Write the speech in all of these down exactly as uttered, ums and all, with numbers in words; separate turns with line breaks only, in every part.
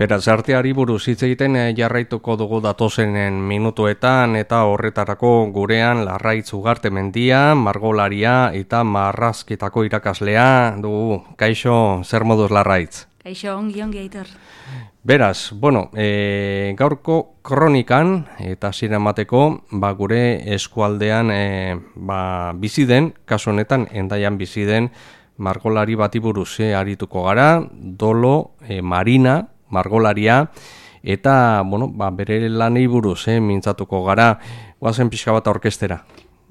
Beraz, arteari buruz hitz egiten jarraituko dugu datozenen minutuetan eta horretarako gurean Larraitz Ugarte Mendia, margolaria eta marrazketako irakaslea dugu. Kaixo, zer moduz Larraitz?
Kaixo, ongi ongi Aitor.
Beraz, bueno, e, gaurko kronikan eta zinemateko ba, gure eskualdean e, ba, bizi den, kasu honetan Hendaian bizi den margolari bati buruz e, arituko gara, Dolo e, Marina, margolaria, eta bueno, ba, bere lanei buruz eh, mintzatuko gara, guazen pixka bat orkestera.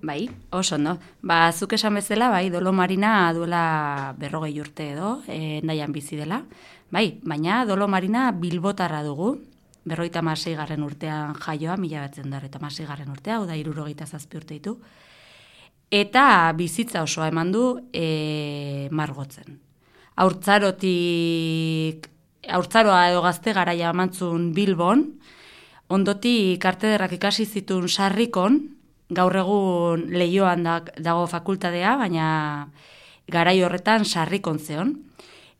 Bai, oso ondo. Ba, zuk esan bezala, bai, Dolo Marina duela berrogei urte edo, Hendaian bizi dela. Bai, baina Dolo Marina bilbotarra dugu, berrogeita hamasei garren urtean jaioa, mila bederatziehun eta hamasei garren urtea, hau da hirurogeita zazpi urte ditu. Eta bizitza osoa eman du e, margotzen. Haurtzarotik Haurtzaroa edo gazte garaia emantzun Bilbon, ondotik artederrak ikasi zituen Sarrikon, gaur egun Leioan dago fakultadea, baina garai horretan Sarrikon zeon,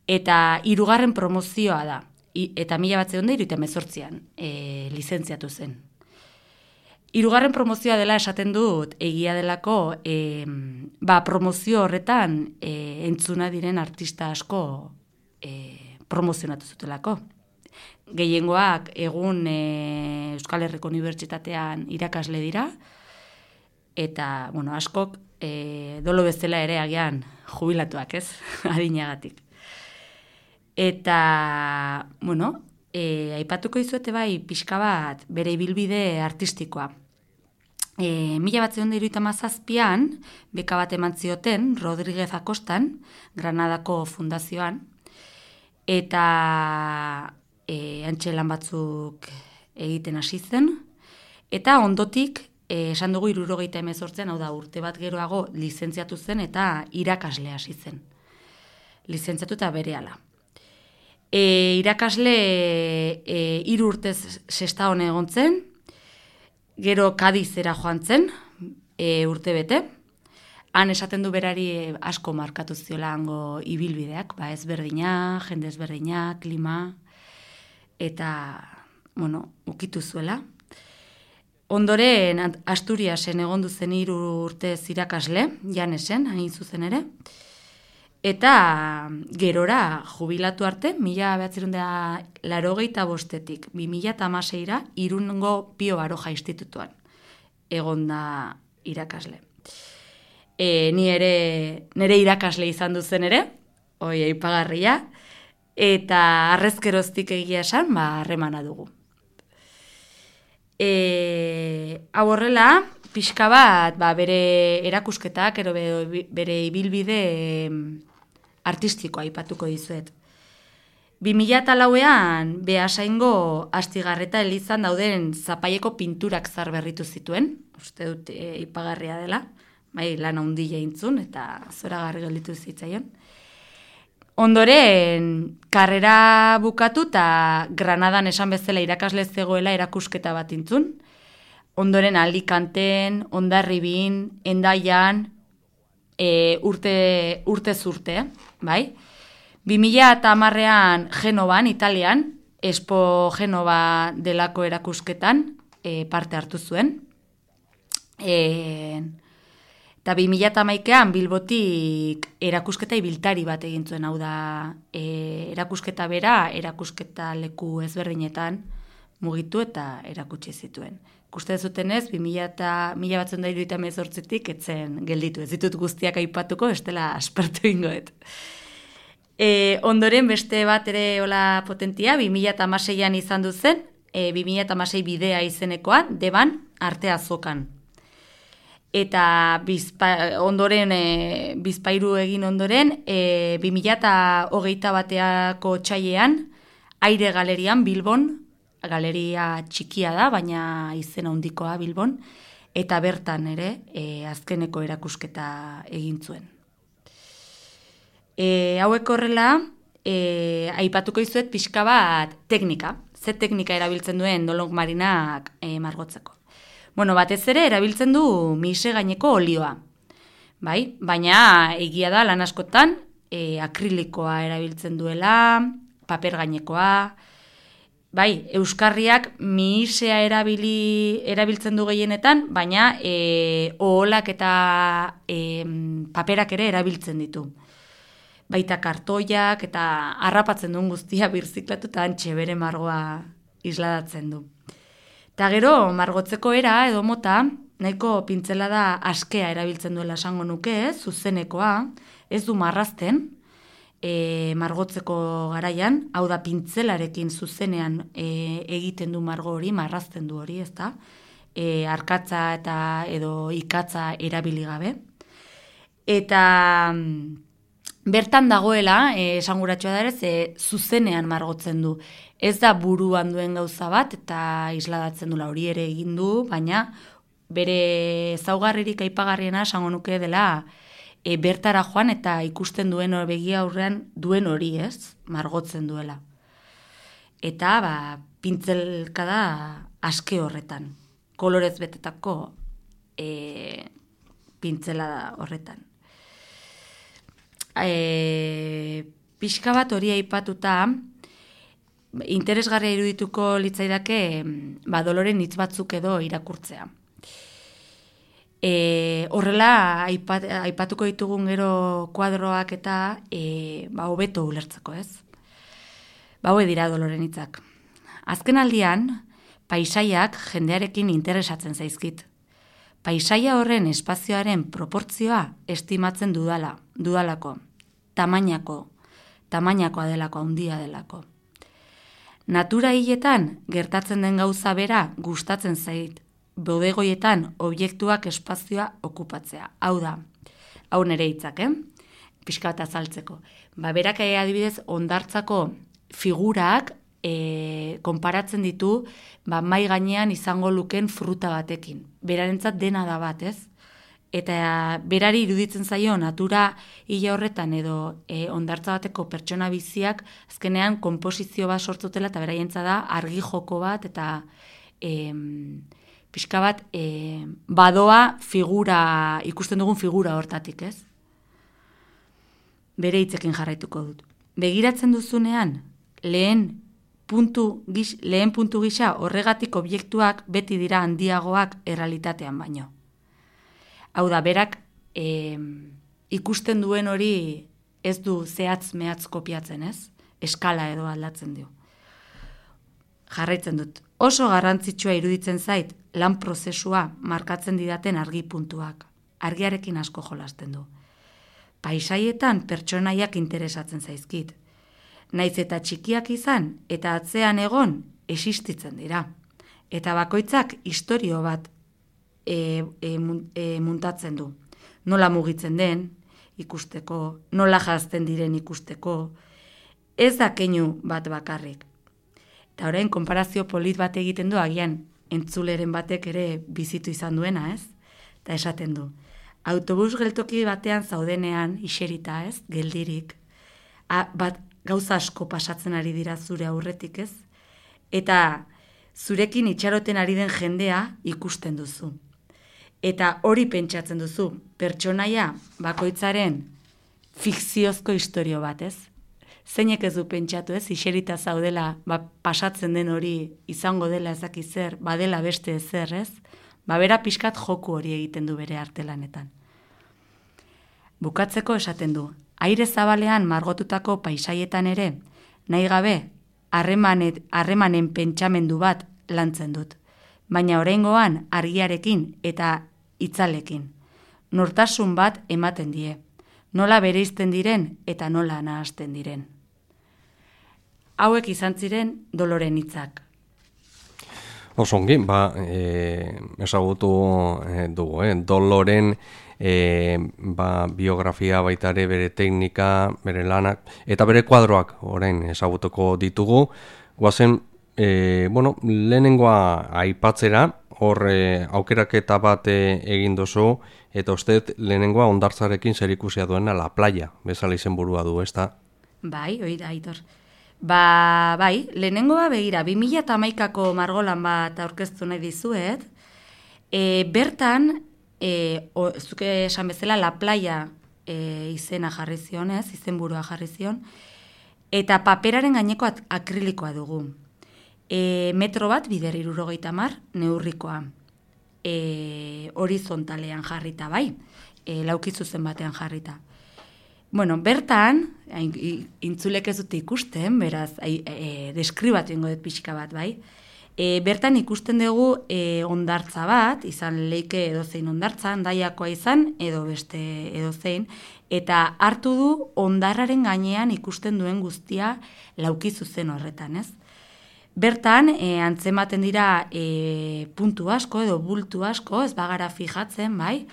eta hirugarren promozioa da, I, eta mila batzeon da hirurogeita hemezortzian e, lizentziatu zen. Hirugarren promozioa dela esaten dut, egia delako, e, ba, promozio horretan e, entzuna diren artista asko e, promozionatu zutelako. Gehiengoak egun e, Euskal Herriko Unibertsitatean irakasle dira, eta, bueno, askok e, Dolo bezala ere agian jubilatuak, ez, adinagatik. Eta, bueno, e, aipatuko izuete bai pixka bat bere ibilbide artistikoa. E, mila batzeon da hirurogeita hamazazpian, beka bat eman zioten Rodríguez Akostan, Granadako fundazioan, eta e, antxelan batzuk egiten hasi zen, eta ondotik, e, esan dugu hirurogeita hemezortzian, hau da urte bat geroago lizentziatu zen eta irakasle hasi zen. Lizentziatu eta berehala. E, irakasle e, hiru urtez Sestaon egon zen, gero Kadizera joan zen, e, urte bete. Han esaten du berari asko markatu ziola hango ibilbideak, ba ezberdina, jende ezberdina, klima, eta, bueno, ukitu zuela. Ondoren Asturiasen egon duzen hiru urtez irakasle, Janesen, hain zuzen ere, eta gerora jubilatu arte, mila bederatziehun eta laurogeita bostetik, bi mila hamaseira, Irungo Pio Baroja institutuan egon da irakasle. E, ni ere, nire irakasle izan duzen ere, oi aipagarria, eta arrezkeroztik egia esan, ba, harremana dugu. E, hau horrela, pixka bat, ba, bere erakusketak, ero bere, bere ibilbide artistikoa aipatuko dizuet. bi mila lauean, Beasaingo Astigarreta elizan dauden zapaieko pinturak zarberritu zituen, uste dut e, aipagarria dela, bai, lan handia intzun, eta zoragarri gelditu zitzaion. Ondoren, karrera bukatu eta Granadan esan bezala irakasle zegoela erakusketa bat intzun. Ondoren Alicanten, Hondarribin, Hendaian, e, urte, urte zurte, bai. bi mila hamarrean Genovan, Italian, Expo Genova delako erakusketan e, parte hartu zuen. E, Eta bi mila hamaikaan Bilbotik erakusketa ibiltari bat egin zuen, hau da e, erakusketa bera, erakusketa leku ezberdinetan mugitu eta erakutsi zituen. Ikuste zutenez, bi mila batzeehun eta hirurogeita hemezortzitik etzen gelditu. Ez ditut guztiak aipatuko, bestela aspertu ingoet. E, ondoren beste bat ere hola potentia, bi mila hamaseian izan duzen, e, bi mila hamasei bidea izenekoan, Deban, Arte Azokan. Eta bizpa, ondoren, e, bizpairu egin ondoren, e, bi mila hogeita bateako txailean, Aire Galerian Bilbon, galeria txikia da, baina izen handikoa Bilbon, eta bertan ere, e, azkeneko erakusketa egin zuen. E, hauek horrela, e, aipatuko izuet pixka bat teknika, ze teknika erabiltzen duen Dolo Marinak e, margotzeko. Bueno, batez ere erabiltzen du mise gaineko olioa. Bai, baina egia da lan askotan e, akrilikoa erabiltzen duela, paper gainekoa, bai, euskarriak mihisea erabili, erabiltzen du gehienetan, baina e, oholak eta e, paperak ere erabiltzen ditu. Baita kartoiak eta harrapatzen duen guztia birziklatu eta antxe bere margoa isladatzen du. Eta gero, margotzeko era edo mota, nahiko pintzelada askea erabiltzen duela esango nuke, zuzenekoa, ez du marrazten, e, margotzeko garaian, hau da pintzelarekin zuzenean e, egiten du margo hori, marrazten du hori, ezta? E, arkatza eta edo ikatza erabili gabe. Eta bertan dagoela, e, esanguratsua da ere, ze zuzenean margotzen du. Ez da buruan duen gauza bat, eta isladatzen dula hori ere egin du, baina bere ezaugarririk aipagarriena esango nuke dela e, bertara joan eta ikusten duen begia aurrean duen hori, ez? Margotzen duela. Eta, ba, pintzelkada aske horretan. Kolorez betetako e, pintzelada horretan. E, pixka bat hori aipatuta, interesgarria irudituko litzaidake ba, Doloren hitz batzuk edo irakurtzea. E, horrela, aipat, aipatuko ditugun gero kuadroak eta e, ba, hobeto ulertzeko, ez? Ba, hoe dira Doloren hitzak. Azken aldian, paisaiak jendearekin interesatzen zaizkit. Paisaia horren espazioaren proportzioa estimatzen dudala, dudalako, tamainako, tamainakoa delako, handia delako. Natura hiletan gertatzen den gauza bera gustatzen zait, bodegoietan objektuak espazioa okupatzea. Hau da, hau nere hitzak, eh? Pixka bat azaltzeko. Ba, berak adibidez hondartzako figurak e, konparatzen ditu ba, mai gainean izango luken fruta batekin. Berarentzat dena da bat, ez? Eta berari iruditzen zaio natura hile horretan edo e, hondartza bateko pertsona biziak azkenean konposizio bat sortzutela eta beraientza da argi joko bat eta e, pixka bat e, badoa figura, ikusten dugun figura hortatik, ez? Bere hitzekin jarraituko dut. Begiratzen duzunean, lehen puntu, gix, lehen puntu gisa horregatik objektuak beti dira handiagoak errealitatean baino. Hau da, berak e, ikusten duen hori ez du zehatz mehatz kopiatzen, ez? Eskala edo aldatzen dio. Jarraitzen dut. Oso garrantzitsua iruditzen zait lan prozesua markatzen didaten argi puntuak. Argiarekin asko jolasten du. Paisaietan pertsonaiak interesatzen zaizkit. Naiz eta txikiak izan eta atzean egon existitzen dira. Eta bakoitzak istorio bat E, e, e, muntatzen du. Nola mugitzen den ikusteko, nola jazten diren ikusteko, ez da keinu bat bakarrik. Eta orain, konparazio polit bat egiten du, agian entzuleren batek ere bizitu izan duena, ez? Eta esaten du. Autobus geltoki batean zaudenean, iserita, ez? Geldirik. A, bat gauza asko pasatzen ari dira zure aurretik, ez? Eta zurekin itxaroten ari den jendea ikusten duzu. Eta hori pentsatzen duzu, pertsonaia bakoitzaren fikziozko istorio bat, ez? Zeinek ez du pentsatu, ez? Iserita zaudela, ba, pasatzen den hori izango dela ezaki zer, badela beste ezer, ez? Ba, bera pixkat joku hori egiten du bere artelanetan. Bukatzeko esaten du, aire zabalean margotutako paisaietan ere, nahi gabe, harremanen pentsamendu bat lantzen dut. Baina oraingoan argiarekin eta hitzalekin. Nortasun bat ematen die. Nola bereizten diren eta nola nahasten diren. Hauek izan ziren Doloren hitzak.
Osongi, ba, e, ezagutu e, dugu, eh? Doloren e, ba, biografia baitare, bere teknika, bere lanak, eta bere kuadroak orain ezagutuko ditugu. Guazen, E, bueno, lehenengoa aipatzera, hor e, aukeraketa bat e, egin dozu, eta uste lehenengoa hondartzarekin zerikusia duena La Playa, bezala izenburua du, ez da?
Bai, hori da, Aitor. Ba, bai, lehenengoa begira, bi mila hamaikako margolan bat aurkeztu nahi dizuet, e, bertan, e, o, zuke esan bezala La Playa e, izena jarri zion, ez, izenburua jarri zion, eta paperaren gaineko akrelikoa dugu. e, metro bat bider hirurogeita hamar neurrikoa. E, horizontalean jarrita, bai, e, laukizuzen batean jarrita. Bueno, bertan, intzulek ez dute ikusten, beraz, e, e, deskribatu ingo dut pixka bat, bai, E, bertan ikusten dugu e, ondartza bat, izan leike edozein ondartza, handaiakoa izan, edo beste edozein, eta hartu du ondarraren gainean ikusten duen guztia lauki zuzen horretan, ez? Bertan, e, antzematen dira e, puntu asko edo bultu asko, ez bagara fijatzen, bai?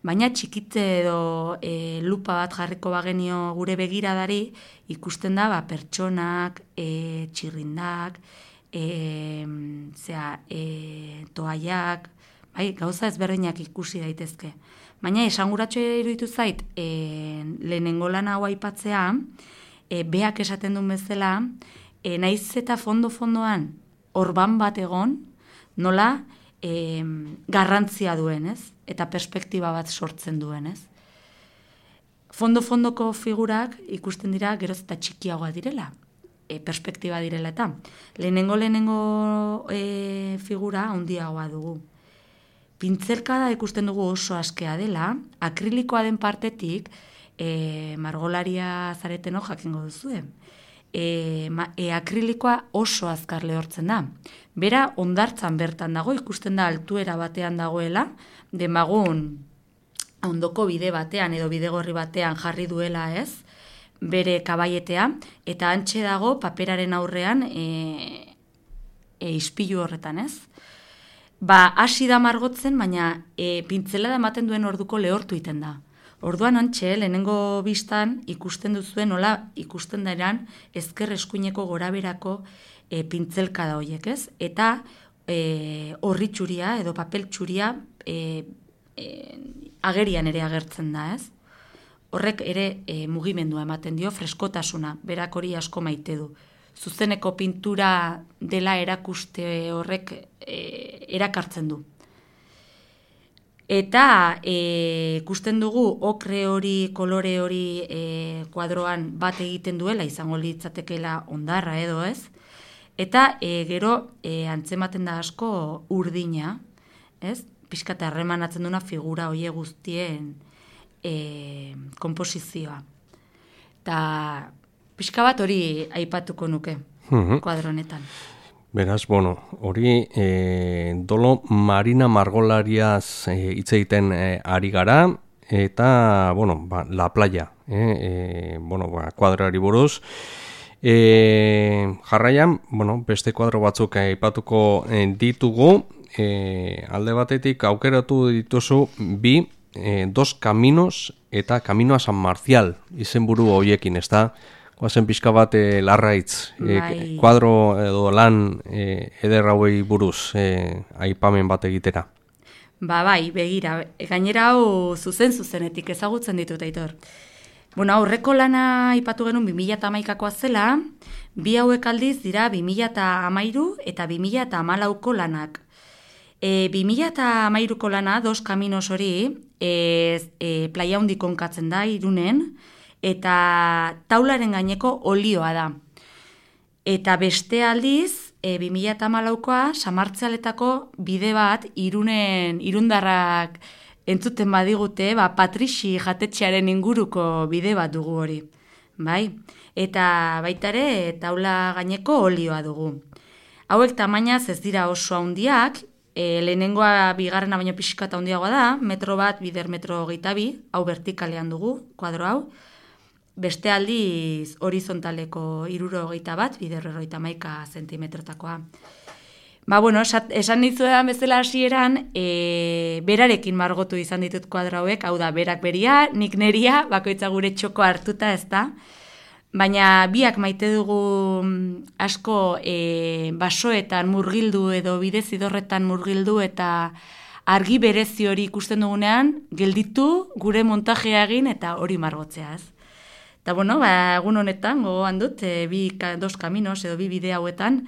Baina txikitze edo e, lupa bat jarriko bagenio gure begiradari, ikusten da ba, pertsonak, e, txirrindak, E, zera, e, toaiak, bai, gauza ezberdinak ikusi daitezke. Baina esanguratxo iruditu zait, e, lehenengo lan hau aipatzea, e, beak esaten duen bezala, e, naiz eta fondo-fondoan orban bat egon, nola e, garrantzia duen, ez? Eta perspektiba bat sortzen duen, ez? Fondo-fondoko figurak ikusten dira geroz eta txikiagoa direla. E, perspektiba direla eta lehenengo lehenengo e, figura handiagoa dugu. Pintzelkada ikusten dugu oso askea dela, akrilikoa den partetik, e, margolaria zareteno jakingo duzue. E, ma, e, akrilikoa oso azkar lehortzen da. Bera ondartzan bertan dago, ikusten da altuera batean dagoela, demagun ondoko bide batean edo bidegorri batean jarri duela, ez? Bere kabaietea, eta antxe dago paperaren aurrean e, e, ispilu horretan, ez? Ba, hasi da margotzen, baina e, pintzela da ematen duen orduko lehortu iten da. Orduan antxe, lehenengo biztan ikusten duzuen, nola ikusten dairan ezker eskuineko goraberako e, pintzelka da horiek, ez? Eta e, horri txuria edo papel txuria e, e, agerian ere agertzen da, ez? Horrek ere e, mugimendua ematen dio, freskotasuna, berak hori asko maite du. Zuzeneko pintura dela erakuste horrek e, erakartzen du. Eta e, ikusten dugu okre hori, kolore hori e, kuadroan bat egiten duela, izango litzatekeela ondarra edo ez. Eta e, gero e, antzematen da asko urdina, ez? Pixkat harremanatzen duna figura hoie guztien E, komposizioa. Eta pixka bat hori aipatuko nuke, uh-huh. Kuadronetan.
Beraz, bueno, hori e, dolo Marina Margolariaz e, hitz egiten e, ari gara, eta, bueno, ba, La Playa, e, e, bueno, ba, kuadroari buruz. E, jarraian, bueno, beste kuadro batzuk aipatuko e, ditugu, e, alde batetik aukeratu dituzu bi, Eh, dos caminos eta Camino a San Marcial izenburu horiekin, ez da? Guazen pixka bat eh, larraitz, eh, kuadro edo lan eh, eder hauei buruz eh, aipamen bat egitera.
Ba bai, begira, gainera hau zuzen-zuzenetik ezagutzen ditut, Aitor. Bueno, aurreko lana aipatu genuen bi mila hamaikakoa zela, bi hauek aldiz dira bi mila hamairu eta bi mila hamalauko lanak. E, bi mila hamairuko lana, Dos Caminos hori, e, e, playa hundi konkatzen da, Irunen, eta taularen gaineko olioa da. Eta beste aldiz, e, bi mila hamalaukoa, Samartzaletako bide bat, Irunen, irundarrak entzuten badigute, ba, Patrixi jatetxearen inguruko bide bat dugu hori. Bai? Eta baitare, taula gaineko olioa dugu. Hauek tamainaz ez dira oso handiak, E, lehenengoa bigarrena baino pixka eta handiagoa da, metro bat, bider metro hogeita bi, hau vertikalean dugu, kuadro hau. Beste aldiz horizontaleko hiruro hogeita bat, bider hogeita hamaika zentimetrotakoa. Ba, bueno, esan nizuedan bezala hasieran, e, berarekin margotu izan ditut kuadro hauek, hau da, berak beria, nik neria, bakoitza gure txoko hartuta ez da. Baina biak maite dugu asko e, basoetan murgildu edo bidezidorretan murgildu eta argi berezi hori ikusten dugunean, gelditu gure montajea egin eta hori margotzea, ez. Eta bueno, ba, egun honetan, gogoan dut, e, bi dos caminos edo bi bide hauetan,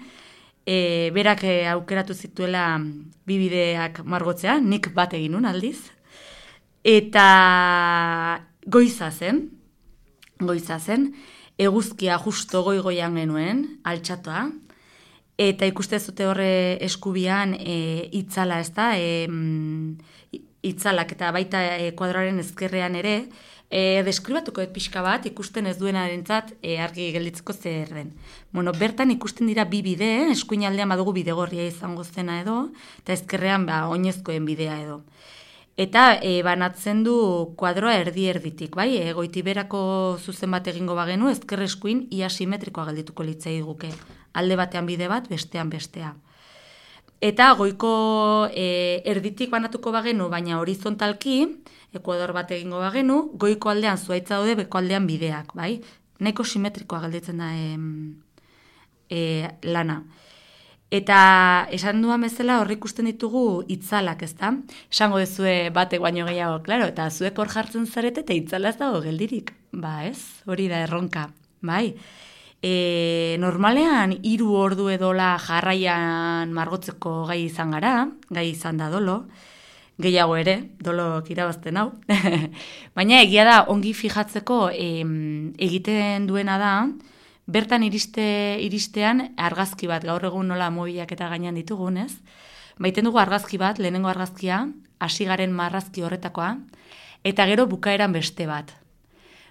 e, berak e, aukeratu zituela bi bideak margotzea, nik bat egin nun aldiz. Eta goiza zen, goiza zen, eguzkia justo goi-goian genuen, altxatoa, Eta ikuste zute horre eskubian e, itzala, ez da, e, itzalak eta baita e, kuadroaren ezkerrean ere, e, deskribatuko et pixka bat, ikusten ez duenarentzat e, argi gelditzeko zer den. Bueno, bertan ikusten dira bi bide, eh? Eskuin aldean badugu bidegorria izango zena edo, eta ezkerrean ba, oinezkoen bidea edo. Eta e, banatzen du kuadroa erdi-erditik, bai? E, goitiberako zuzen bat egingo bagenu, ezker eskuin ia simetrikoa geldituko litzai guke. Alde batean bide bat, bestean bestea. Eta goiko e, erditik banatuko bagenu, baina horizontalki, ekuador bat egingo bagenu, goiko aldean zuaitza daude, beko aldean bideak, bai? Nahiko simetrikoa gelditzen da e, e, lana. Eta esan duan bezala horri ikusten ditugu itzalak, ezta? Esango dezue batek baino gehiago, klaro, eta zuek hor jartzen zarete eta itzala ez dago geldirik. Ba, ez? Hori da erronka, bai? E, normalean hiru ordu edola jarraian margotzeko gai izan gara, gai izan da dolo, gehiago ere, dolok irabazten hau. Baina egia da, ongi fijatzeko em, egiten duena da, bertan iriste, iristean argazki bat, gaur egun nola mobilak eta gainean ditugun, ez? Baiten dugu argazki bat, lehenengo argazkia, hasi garen marrazki horretakoa, eta gero bukaeran beste bat.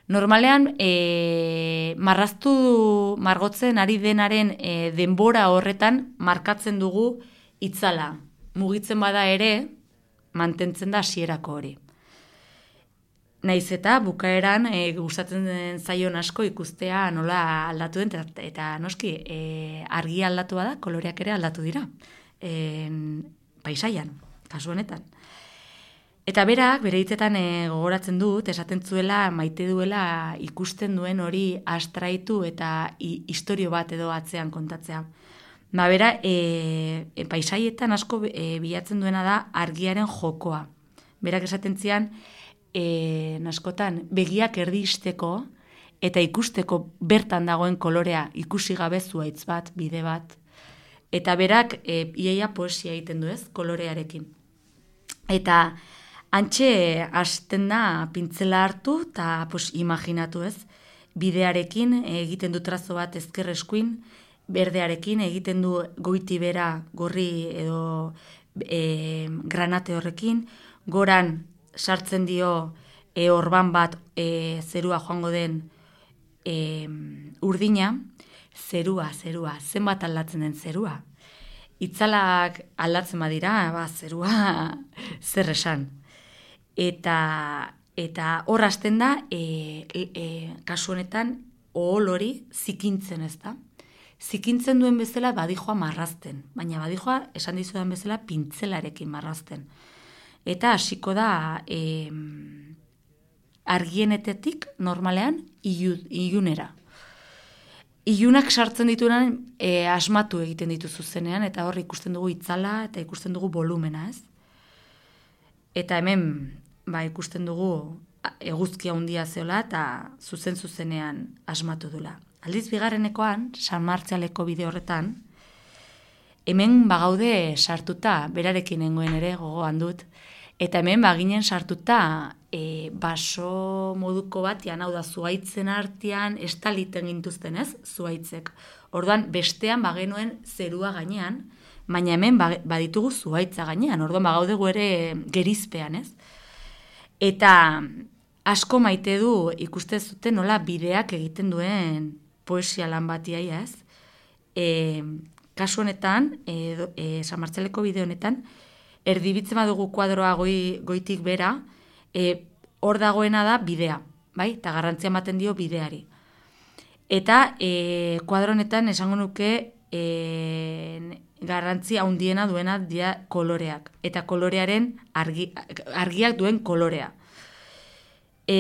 Normalean, e, marraztu margotzen ari denaren e, denbora horretan markatzen dugu itzala. Mugitzen bada ere, mantentzen da hasierako hori. Naiz eta bukaeran e, gustatzen den zaion asko ikustea nola aldatu den, eta, eta noski e, argia aldatu bada, koloreak ere aldatu dira. E, paisaian, kasu honetan. Eta berak, bere hitzetan e, gogoratzen dut, esaten zuela maite duela ikusten duen hori astraitu eta i, istorio bat edo atzean kontatzea. Ba, bera, e, e, paisaietan asko e, bilatzen duena da argiaren jokoa. Berak esaten zian, E, naskotan, begiak erdisteko eta ikusteko bertan dagoen kolorea ikusi gabe zuaitz bat, bide bat. Eta berak e, iaia poesia egiten du, ez, kolorearekin. Eta antxe hasten da pintzela hartu eta pues, imaginatu, ez, bidearekin egiten du trazo bat ezker eskuin, berdearekin egiten du goiti bera gorri edo e, granate horrekin, goran sartzen dio e, orban bat e, zerua joango den e, urdina, zerua, zerua, zenbat aldatzen den zerua. Itzalak aldatzen badira, ba, zerua zer esan. Eta, eta hor hasten da, e, e, kasu honetan, ohol hori zikintzen, ez da? Zikintzen duen bezala badijoa marrazten, baina badijoa esan dizudan bezala pintzelarekin marrazten. Eta hasiko da e, argienetetik normalean ilunera. Ilunak sartzen dituenan e, asmatu egiten ditu zuzenean, eta hor ikusten dugu itzala eta ikusten dugu volumena, ez? Eta hemen ba, ikusten dugu eguzkia handia zeola eta zuzen zuzenean asmatu dula. Aldiz bigarrenekoan, San Martzialeko bide horretan, hemen bagaude sartuta, berarekin nengoen ere gogoan dut, eta hemen baginen sartuta e, baso moduko batean, hau da zuaitzen artean, estaliten gintuzten, ez, zuaitzek. Orduan, bestean bagenuen zerua gainean, baina hemen baditugu zuaitza gainean, orduan bagaudegu ere gerizpean, ez. Eta asko maite du ikuste zuten nola bideak egiten duen poesia lan batiaia, ez. E, kasu honetan, e, e, San Martzialeko bide honetan, erdibitzen badugu kuadroa goi, goitik bera, e, hor dagoena da bidea, bai? Eta garrantzia ematen dio bideari. Eta e, kuadro honetan esango nuke e, garrantzia handiena duena dira koloreak. Eta kolorearen argi, argiak duen kolorea. E,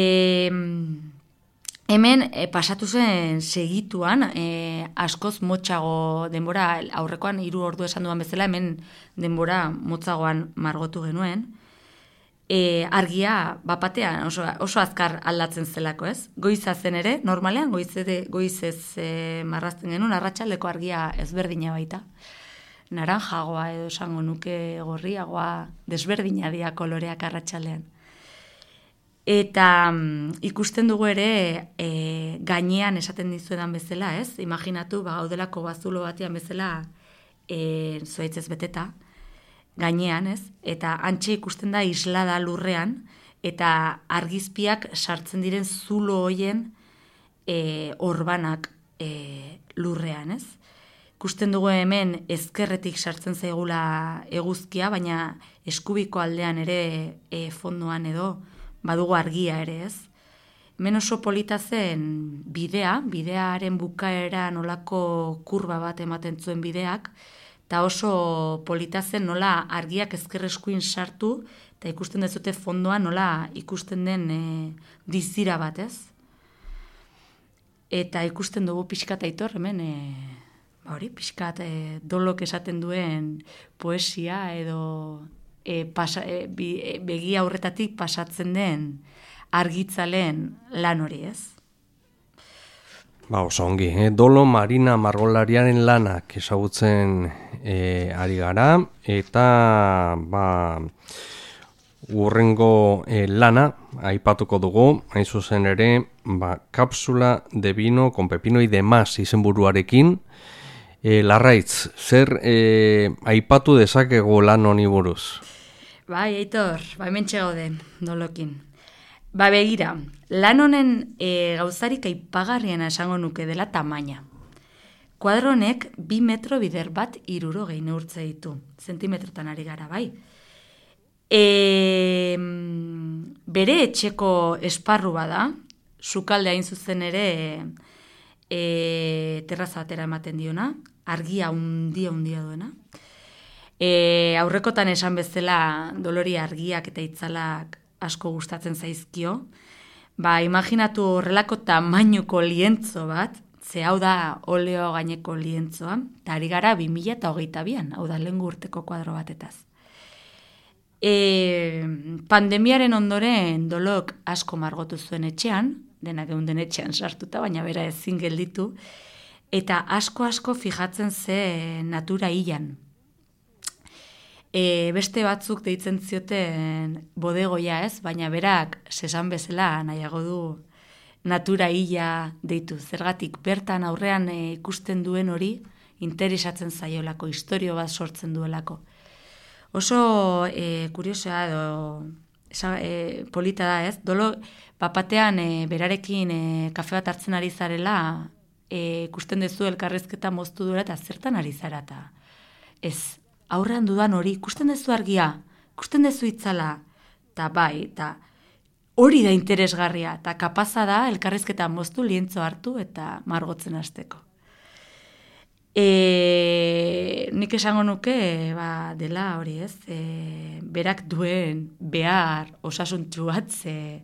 hemen e, pasatu zen segituan, e, askoz motxago denbora, aurrekoan hiru ordu esan duan bezala, hemen denbora motzagoan margotu genuen, e, argia bapatean oso, oso azkar aldatzen zelako, ez? Goiza zen ere, normalean goizede, goizez e, marrazten genuen, arratsaldeko argia ezberdina baita. Naranjagoa edo esango nuke gorriagoa, desberdina dira koloreak arratsaldean. Eta um, ikusten dugu ere e, gainean esaten dizuedan bezala, ez? Imaginatu, ba, gaudelako bazulo batean bezala e, zuaitzez beteta, gainean, ez? Eta antxe ikusten da islada lurrean, eta argizpiak sartzen diren zulo hoien e, orbanak e, lurrean, ez? Ikusten dugu hemen ezkerretik sartzen zaigula eguzkia, baina eskubiko aldean ere e, fondoan edo badugu argia ere, ez? Hemen oso polita zen bidea, bidearen bukaera nolako kurba bat ematen zuen bideak, eta oso polita zen nola argiak ezker eskuin sartu, eta ikusten dezute fondoan nola ikusten den e, dizira bat, ez? Eta ikusten dugu pixkat aitor, hemen, e, ba hori, pixkat e, dolok esaten duen poesia edo e, pasa, e, bi, e, begia aurretatik pasatzen den argitzaleen lan hori, ez?
Ba, oso ongi, eh? Dolo Marina margolariaren lanak ezagutzen eh, ari gara, eta ba, urrengo eh, lana aipatuko dugu, hain zuzen ere, ba, kapsula de vino con pepino y demás izenburuarekin. Eh, Larraitz, zer eh, aipatu dezakegu lan honi buruz?
Bai, Aitor, ba, hemen txegaude, dolokin. Ba, begira, lan honen e, gauzarik aipagarriena esango nuke dela tamaina. Kuadro honek bi metro bider bat iruro gehi neurtze ditu. Zentimetrotan ari gara, bai. E, bere etxeko esparru bada, sukalde hain zuzen ere e, terraza batera ematen diona, argia undia undia duena. E, aurrekotan esan bezala dolori argiak eta itzalak asko gustatzen zaizkio, ba, imaginatu horrelako tamainuko lientzo bat, ze hau da oleo gaineko lientzoa, eta ari gara bi mila hogeita bian, hau da lehen urteko kuadro batetaz. E, pandemiaren ondoren dolok asko margotu zuen etxean, denak geunden etxean sartuta, baina bera ezin gelditu, eta asko-asko fijatzen ze natura hilan. E, beste batzuk deitzen zioten bodegoia, ez, baina berak sesan bezala nahiago du natura hila deitu. Zergatik bertan aurrean e, ikusten duen hori interesatzen zaiolako, historio bat sortzen duelako. Oso e, kuriosoa edo esa, e, polita da, ez? Dolo bapatean e, berarekin e, kafe bat hartzen ari zarela e, ikusten dezu elkarrizketa moztu duela eta zertan ari zara eta ez. Aurrean dudan hori, ikusten dezu argia, ikusten dezu itzala, eta bai, eta hori da interesgarria, eta kapaza da elkarrizketa moztu lientzo hartu eta margotzen hasteko. E, nik esango nuke, ba, dela hori ez, e, berak duen behar osasuntsu bat, ze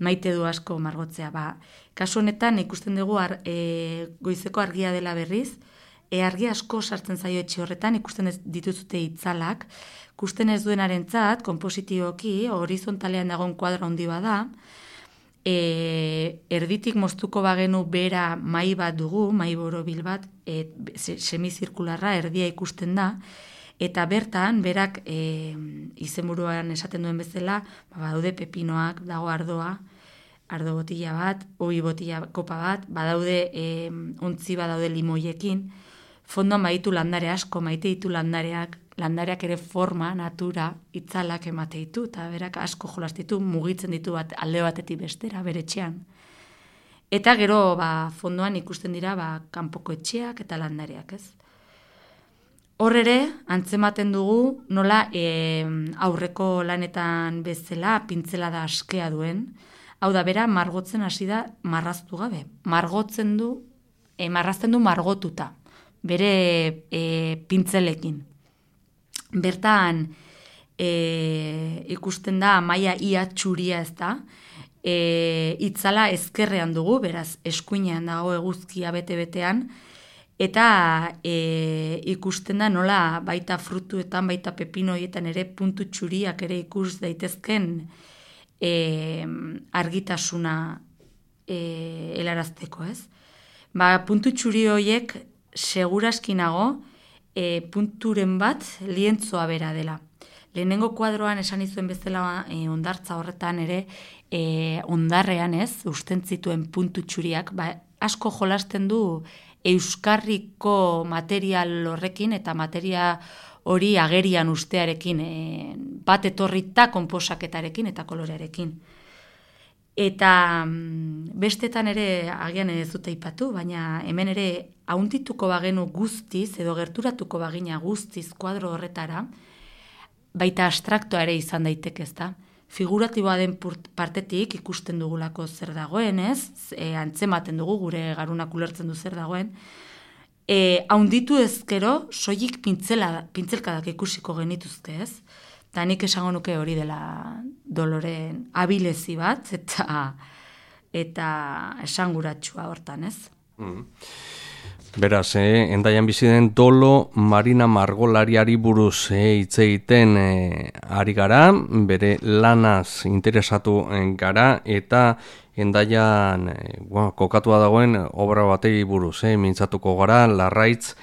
maite du asko margotzea. Ba, kasu honetan ikusten dugu ar, e, goizeko argia dela berriz, E, argi asko sartzen zaio etxe horretan, ikusten ez dituzute itzalak, ikusten ez duenarentzat, konpositioki, horizontalean dagoen kuadro handi bada, e, erditik moztuko bagenu bera mai bat dugu, mai borobil bat, e, semizirkularra, erdia ikusten da, eta bertan, berak e, izenburuan esaten duen bezala, badaude pepinoak, dago ardoa, ardo botila bat, ohi botila kopa bat, badaude e, ontzi badaude limoiekin, fondoan baditu landare asko, maite ditu landareak, landareak ere forma, natura, itzalak emate ditu, eta berak asko jolastitu, mugitzen ditu bat alde batetik bestera, bere etxean. Eta gero, ba, fondoan ikusten dira, ba, kanpoko etxeak eta landareak, ez? Hor ere, antzematen dugu, nola e, aurreko lanetan bezala, pintzela da askea duen, hau da, bera, margotzen hasi da marraztu gabe. Margotzen du, e, marrazten du margotuta, bere e, pintzelekin. Bertan e, ikusten da maila ia txuria ez da, e, itzala ezkerrean dugu, beraz eskuinean dago eguzkia bete-betean, eta e, ikusten da nola baita frutuetan, baita pepinoietan ere puntu txuriak ere ikus daitezken e, argitasuna e, helarazteko, ez? Ba, puntu txuri horiek seguraskinago e, punturen bat lientzoa bera dela. Lehenengo kuadroan esan izuen bezala e, ondartza horretan ere e, ondarrean ez, usten zituen puntu txuriak, ba, asko jolasten du euskarriko material horrekin eta materia hori agerian ustearekin, e, bat etorrita konposaketarekin eta kolorearekin. Eta bestetan ere agian ez dute aipatu, baina hemen ere hauntituko bagenu guztiz, edo gerturatuko bagina guztiz kuadro horretara, baita abstraktoa ere izan daiteke, ezta? Figuratiboa den partetik ikusten dugulako zer dagoen, ez? E, antzematen dugu, gure garunak ulertzen du zer dagoen. E, haunditu ezkero, soilik pintzela, pintzelkadak ikusiko genituzke, ez? Eta nik esango nuke hori dela Doloren abilezi bat, eta eta esanguratsua hortan, ez?
Mm. Beraz, eh, endaian bizi den Dolo Marina margolariari buruz eh, hitz egiten eh, ari gara, bere lanaz interesatu gara, eta endaian eh, bueno, kokatua dagoen obra batei buruz, eh, mintzatuko gara, Larraitz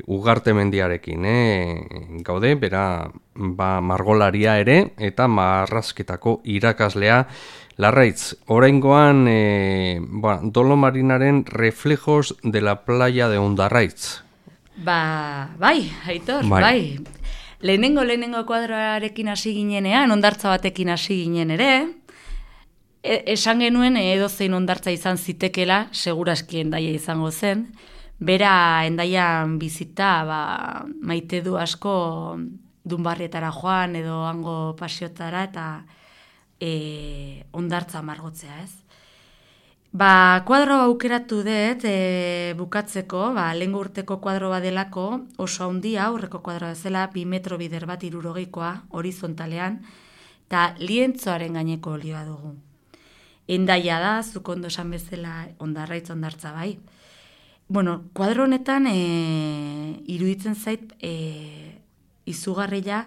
Ugarte mendiarekin, eh? Gaude, bera ba, margolaria ere, eta marrazketako irakaslea. Larraitz, oraingoan eh, ba, Dolo Marinaren reflejos de la playa de Hondarraitz.
Ba, bai, Aitor, bai. bai. Lehenengo, lehenengo kuadroarekin hasi ginenean, hondartza batekin hasi ginen ere, e, esan genuen edozein hondartza izan zitekela, seguraski Hendaia izango zen. Bera Hendaian bizita ba, maite du asko Dunbarrietara joan edo hango pasiotara eta e, hondartza margotzea, ez? Ba, kuadro aukeratu dut e, bukatzeko, ba, lehengo urteko kuadro badelako oso handia, aurreko kuadro bezala, bi metro bider bat hirurogeikoa horizontalean, eta lientzoaren gaineko olioa dugu. Hendaia da, zuk ondo esan bezala Hondarraitz hondartza bai. Bueno, kuadro honetan e, iruditzen zait e, izugarria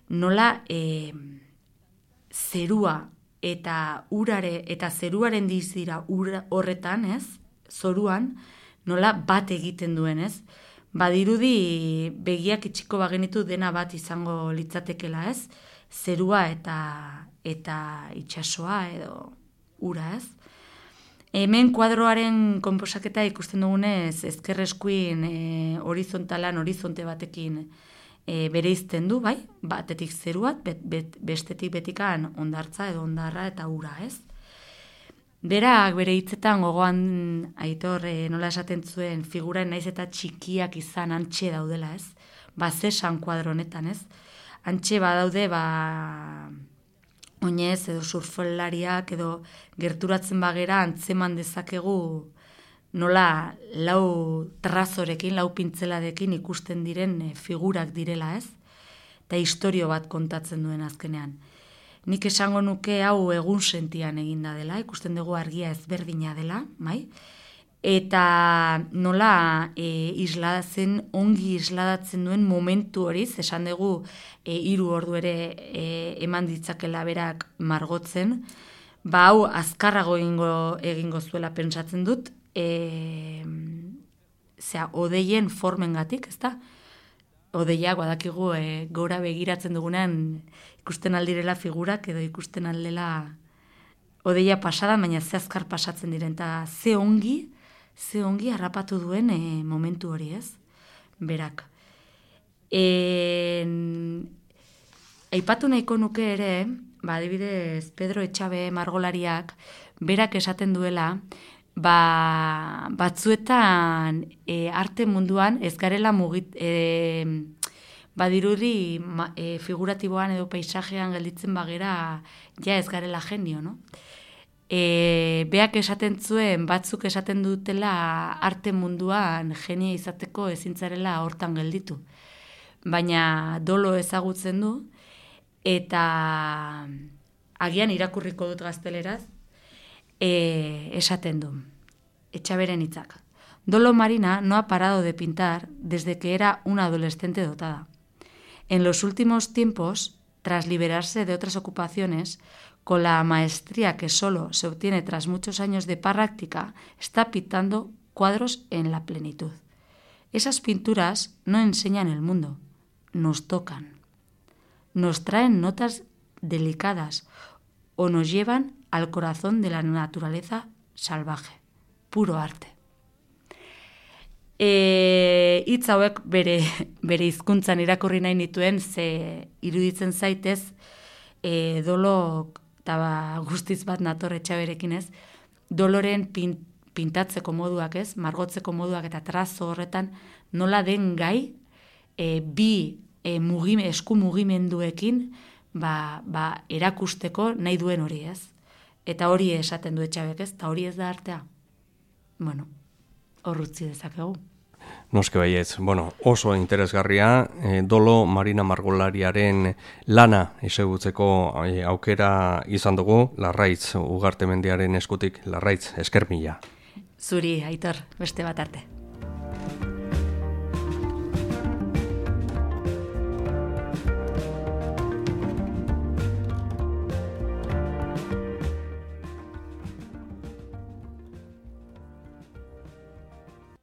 nola e, zerua eta urare eta zeruaren dizira ura horretan, ez? Zoruan nola bat egiten duen, ez? Badirudi begiak itxiko bagenitu dena bat izango litzatekela, ez? Zerua eta eta itsasoa edo ura, ez? Hemen kuadroaren konposaketa ikusten dugunez ezker eskuin e, horizontalan horizonte batekin e, bereizten du, bai? Batetik zeruat, bet, bet, bestetik betikan hondartza edo hondarra eta ura, ez? Berak bere hitzetan gogoan Aitor e, nola esaten zuen figuraen naiz eta txikiak izan antxe daudela, ez? Ba, zesan kuadro honetan, ez? Antxe badaude, ba... oinez edo surflariak edo gerturatzen bagera antzeman dezakegu nola lau trazorekin, lau pintzeladekin ikusten diren figurak direla, ez? Eta istorio bat kontatzen duen azkenean. Nik esango nuke hau egun sentian eginda dela, ikusten dugu argia ezberdina dela, bai? Eta nola e, isladatzen, ongi isladatzen duen momentu horiz, esan dugu e, hiru ordu ere e, eman ditzakela berak margotzen, ba hau azkarrago egingo, egingo zuela pentsatzen dut, e, zera, odeien formengatik, ezta? Odeiak badakigu e, gora begiratzen dugunean ikusten aldirela figurak edo ikusten aldela odeia pasada, baina ze azkar pasatzen diren, eta ze ongi, ze ongi harrapatu duen e, momentu hori, ez? Berak. E, aipatu nahiko nuke ere, ba, adibidez, Pedro Etxabe margolariak, berak esaten duela, ba, batzuetan e, arte munduan ez garela mugit, e, badirudi ma, e, figuratiboan edo paisajean gelditzen bagera ja ez garela genio, no? E, beak esaten zuen, batzuk esaten dutela arte munduan genia izateko ezintzarela hortan gelditu. Baina Dolo ezagutzen du, eta agian irakurriko dut gazteleraz, e, esaten du. Etxaberen hitzak. Dolo Marina no ha parado de pintar desde que era una adolescente dotada. En los últimos tiempos, tras liberarse de otras ocupaciones, con la maestría que solo se obtiene tras muchos años de práctica, está pintando cuadros en la plenitud. Esas pinturas no enseñan el mundo, nos tocan. Nos traen notas delicadas o nos llevan al corazón de la naturaleza salvaje. Puro arte. E, hitz hauek bere, bere hizkuntzan irakurri nahi nituen, ze iruditzen zaitez, e, dolo, eta ba, guztiz bat nator Etxaberekin ez, doloren pin, pintatzeko moduak ez, margotzeko moduak eta trazo horretan, nola den gai, e, bi e, mugime, esku mugimenduekin, ba, ba, erakusteko nahi duen hori ez. Eta hori esaten du Etxabek ez, eta hori ez da artea. Bueno, hor utzi dezakegu.
Noske baietz, bueno, oso interesgarria, e, Dolo Marina Margolariaren lana ezagutzeko e, aukera izan dugu, Larraitz Ugartemendiaren eskutik, Larraitz, esker mila.
Zuri, Aitor, beste bat arte.